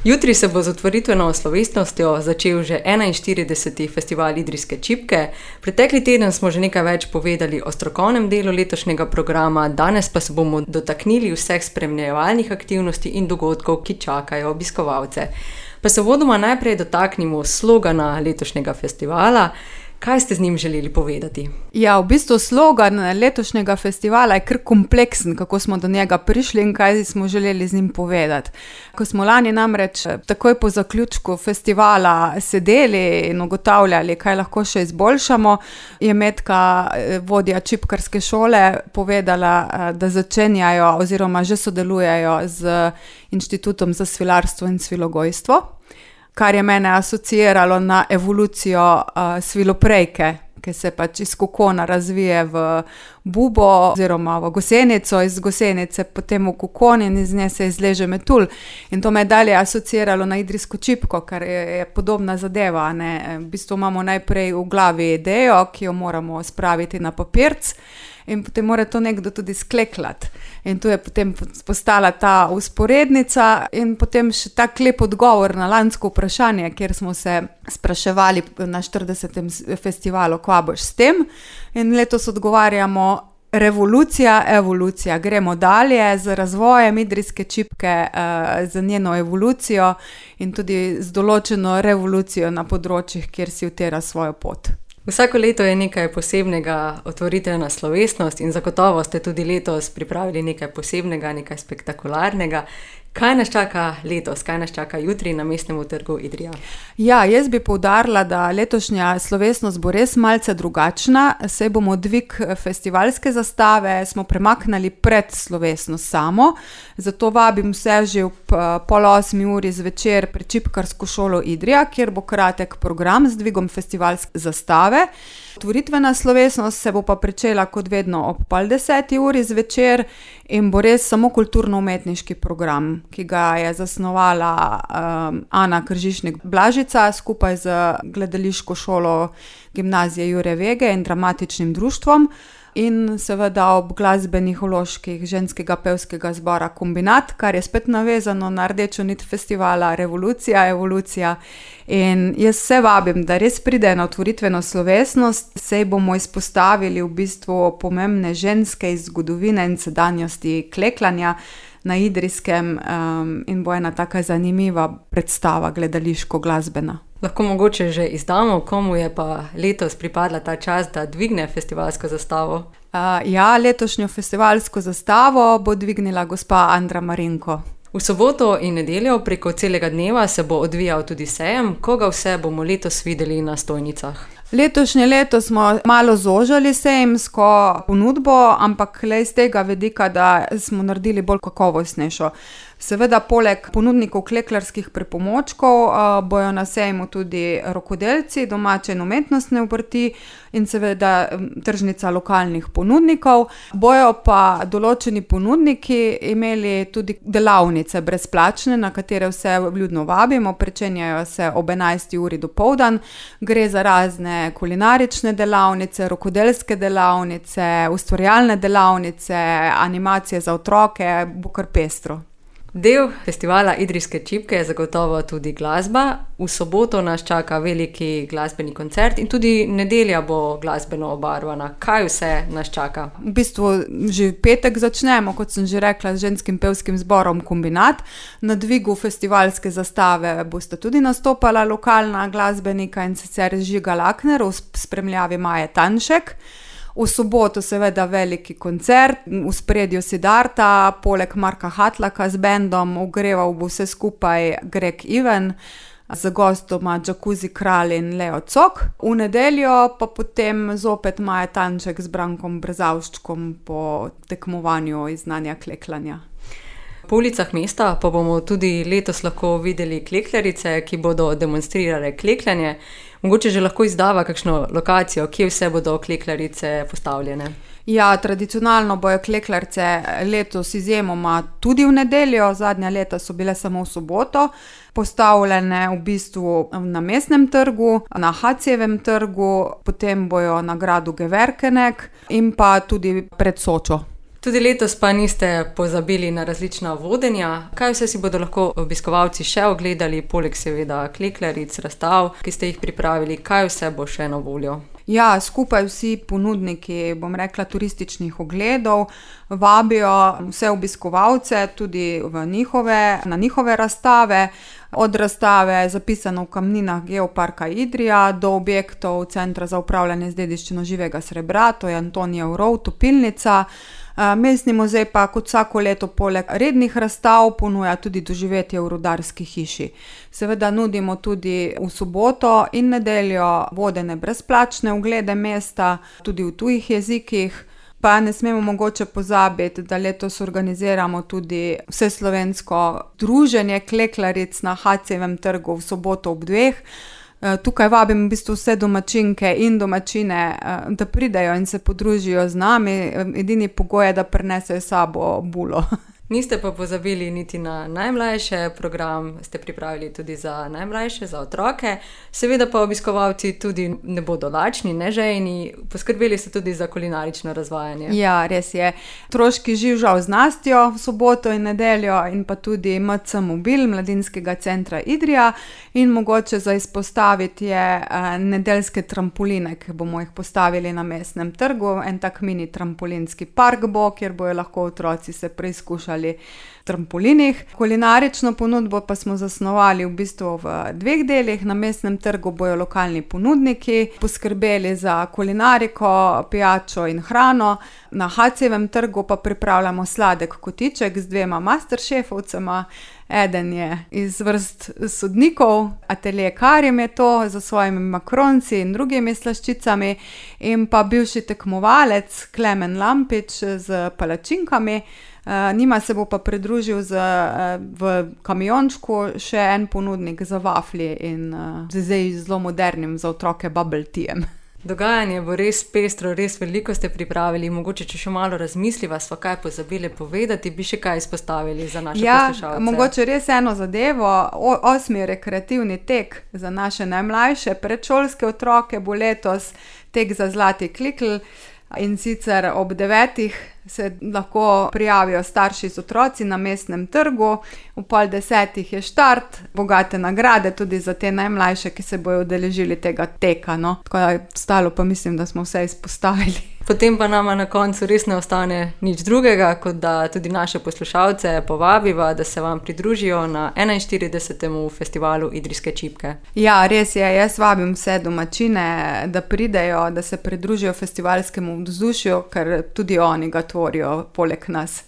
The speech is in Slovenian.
Jutri se bo z otvoritveno slovesnostjo začel že 41. festival Idrijske čipke. Pretekli teden smo že nekaj več povedali o strokovnem delu letošnjega programa, danes pa se bomo dotaknili vseh spremljevalnih aktivnosti in dogodkov, ki čakajo obiskovalce. Pa se vodoma najprej dotaknimo slogana letošnjega festivala. Kaj ste z njim želeli povedati? Ja, v bistvu slogan letošnjega festivala je kar kompleksen, kako smo do njega prišli in kaj smo želeli z njim povedati. Ko smo lani namreč takoj po zaključku festivala sedeli in ugotavljali, kaj lahko še izboljšamo, je Metka, vodja čipkarske šole, povedala, da začenjajo oziroma že sodelujejo z Inštitutom za svilarstvo in svilogojstvo, kar je mene asociiralo na evolucijo sviloprejke, ki se pač iz kokona razvije v bubo oziroma v gosenico, iz gosenice potem v kokon in iz nje se izleže metulj. In to me je dalje asociiralo na idrijsko čipko, kar je podobna zadeva. Ne? V bistvu imamo najprej v glavi idejo, ki jo moramo spraviti na papirc, in potem mora to nekdo tudi skleklati. In tu je potem postala ta usporednica in potem še tak lep odgovor na lansko vprašanje, kjer smo se spraševali na 40. festivalu, kva boš s tem. In letos odgovarjamo revolucija, evolucija. Gremo dalje z razvojem idrijske čipke, z njeno evolucijo in tudi z določeno revolucijo na področjih, kjer si utira svojo pot. Vsako leto je nekaj posebnega otvoritvena slovesnost in zagotovo ste tudi letos pripravili nekaj posebnega, nekaj spektakularnega. Kaj nas čaka letos, kaj nas čaka jutri na Mestnem trgu Idrija? Ja, jaz bi poudarila, da letošnja slovesnost bo res malce drugačna, saj bomo dvig festivalske zastave smo premaknili pred slovesnost samo, zato vabim vse že ob 7:30 zvečer pri Čipkarsko šolo Idrija, kjer bo kratek program z dvigom festivalske zastave. Otvoritvena slovesnost se bo pa pričela kot vedno ob 9:30 zvečer in bo res samo kulturno-umetniški program, ki ga je zasnovala Ana Kržišnik-Blažica skupaj z gledališko šolo Gimnazije Jure Vege in dramatičnim društvom in seveda ob glasbenih vložkih ženskega pevskega zbora Kombinat, kar je spet navezano na rdečo nit festivala Revolucija, evolucija. In jaz vse vabim, da res pride na otvoritveno slovesnost, saj bomo izpostavili v bistvu pomembne ženske iz zgodovine in sedanjosti kleklanja na Idrijskem in bo ena taka zanimiva predstava gledališko-glasbena. Lahko mogoče že izdamo, komu je pa letos pripadla ta čast, da dvigne festivalsko zastavo? Ja, letošnjo festivalsko zastavo bo dvignila gospa Andra Marinko. V soboto in nedeljo preko celega dneva se bo odvijal tudi sejem. Koga vse bomo letos videli na stojnicah? Letošnje leto smo malo zožali sejemsko ponudbo, ampak le iz tega vidika, da smo naredili bolj kakovostnejšo. Seveda, poleg ponudnikov kleklarskih pripomočkov bojo na sejmu tudi rokodelci, domače in umetnostne obrti in seveda tržnica lokalnih ponudnikov. Bojo pa določeni ponudniki imeli tudi delavnice brezplačne, na katere vse vljudno vabimo, pričenjajo se ob 11:00 dopoldan. Gre za razne kulinarične delavnice, rokodelske delavnice, ustvarjalne delavnice, animacije za otroke, bo kar pestro. Del festivala Idrijske čipke je zagotovo tudi glasba. V soboto nas čaka veliki glasbeni koncert in tudi nedelja bo glasbeno obarvana. Kaj vse nas čaka? V bistvu že v petek začnemo, kot sem že rekla, z ženskim pevskim zborom Kombinat. Na dvigu festivalske zastave boste tudi nastopala lokalna glasbenika in sicer Žiga Lakner v spremljavi Maje Tanšek. V soboto seveda veliki koncert, v ospredju Siddharta, poleg Marka Hatlaka z bendom, ogreval bo vse skupaj Greg Even, z gostoma Jacuzzi Kralj in Leo Cok. V nedeljo pa potem zopet Maja Tanšek z Brankom Brzavščkom po tekmovanju iz znanja kleklanja. Po ulicah mesta pa bomo tudi letos lahko videli kleklarice, ki bodo demonstrirale klekljanje. Mogoče že lahko izdava kakšno lokacijo, kje vse bodo kleklarice postavljene? Ja, tradicionalno bojo kleklarce letos izjemoma tudi v nedeljo, zadnja leta so bile samo v soboto, postavljene v bistvu na Mestnem trgu, na Hacijevem trgu, potem bojo na gradu Geverkenek in pa tudi pred Sočo. Tudi letos pa niste pozabili na različna vodenja. Kaj vse si bodo lahko obiskovalci še ogledali, poleg seveda klekljaric, razstav, ki ste jih pripravili, kaj vse bo še na voljo? Ja, skupaj vsi ponudniki, bom rekla, turističnih ogledov vabijo vse obiskovalce tudi na njihove razstave. Od razstave Zapisano v kamninah Geoparka Idrija do objektov Centra za upravljanje z dediščino živega srebra, to je Antonijev rov, topilnica. Mestni muzej pa kot vsako leto poleg rednih razstav ponuja tudi doživetje v Rudarski hiši. Seveda nudimo tudi v soboto in nedeljo vodene brezplačne oglede mesta, tudi v tujih jezikih. Pa ne smemo mogoče pozabiti, da letos organiziramo tudi vseslovensko druženje klekljaric na HC-jevem trgu v soboto ob 2. Tukaj vabim v bistvu vse domačinke in domačine, da pridejo in se podružijo z nami. Edini pogoj je, da prinesejo s sabo bulo. Niste pa pozabili niti na najmlajše, program ste pripravili tudi za najmlajše, za otroke. Seveda pa obiskovalci tudi ne bodo lačni, nežejni, poskrbeli ste tudi za kulinarično razvajanje. Ja, res je. Otroški živžav z Nastjo v soboto in nedeljo in pa tudi MC Mobil Mladinskega centra Idrija in mogoče za izpostaviti je nedeljske trampoline, ki bomo jih postavili na Mestnem trgu. En tak mini trampolinski park bo, kjer bojo lahko otroci se preizkušali trampolinih. Kulinarično ponudbo pa smo zasnovali v bistvu v 2 delih. Na Mestnem trgu bojo lokalni ponudniki poskrbeli za kulinariko, pijačo in hrano. Na HC-jevem trgu pa pripravljamo sladek kotiček z 2 masterchefovcema. Eden je iz vrst sodnikov, Atelje Karim je to, za svojimi makronci in drugimi slaščicami, in pa bivši tekmovalec Klemen Lampič z palačinkami. Njima se bo pa pridružil v kamiončku še en ponudnik za vaflji in zdaj zelo modernim za otroke bubble teajem. Dogajanje bo res pestro, res veliko ste pripravili. Mogoče, če še malo razmisliva, sva kaj pozabili povedati, bi še kaj izpostavili za naše poslušalce. Mogoče res eno zadevo. 8. rekreativni tek za naše najmlajše predšolske otroke bo letos tek za Zlati klikl. In sicer ob 9. se lahko prijavijo starši z otroci na Mestnem trgu, ob 9:30 je štart, bogate nagrade tudi za te najmlajše, ki se bojo udeležili tega teka, no. Tako da ostalo pa mislim, da smo vse izpostavili. Potem pa nama na koncu res ne ostane nič drugega, kot da tudi naše poslušalce povabiva, da se vam pridružijo na 41. festivalu Idrijske čipke. Ja, res je. Jaz vabim vse domačine, da pridejo, da se pridružijo festivalskemu vzdušju, ker tudi oni ga tvorijo poleg nas.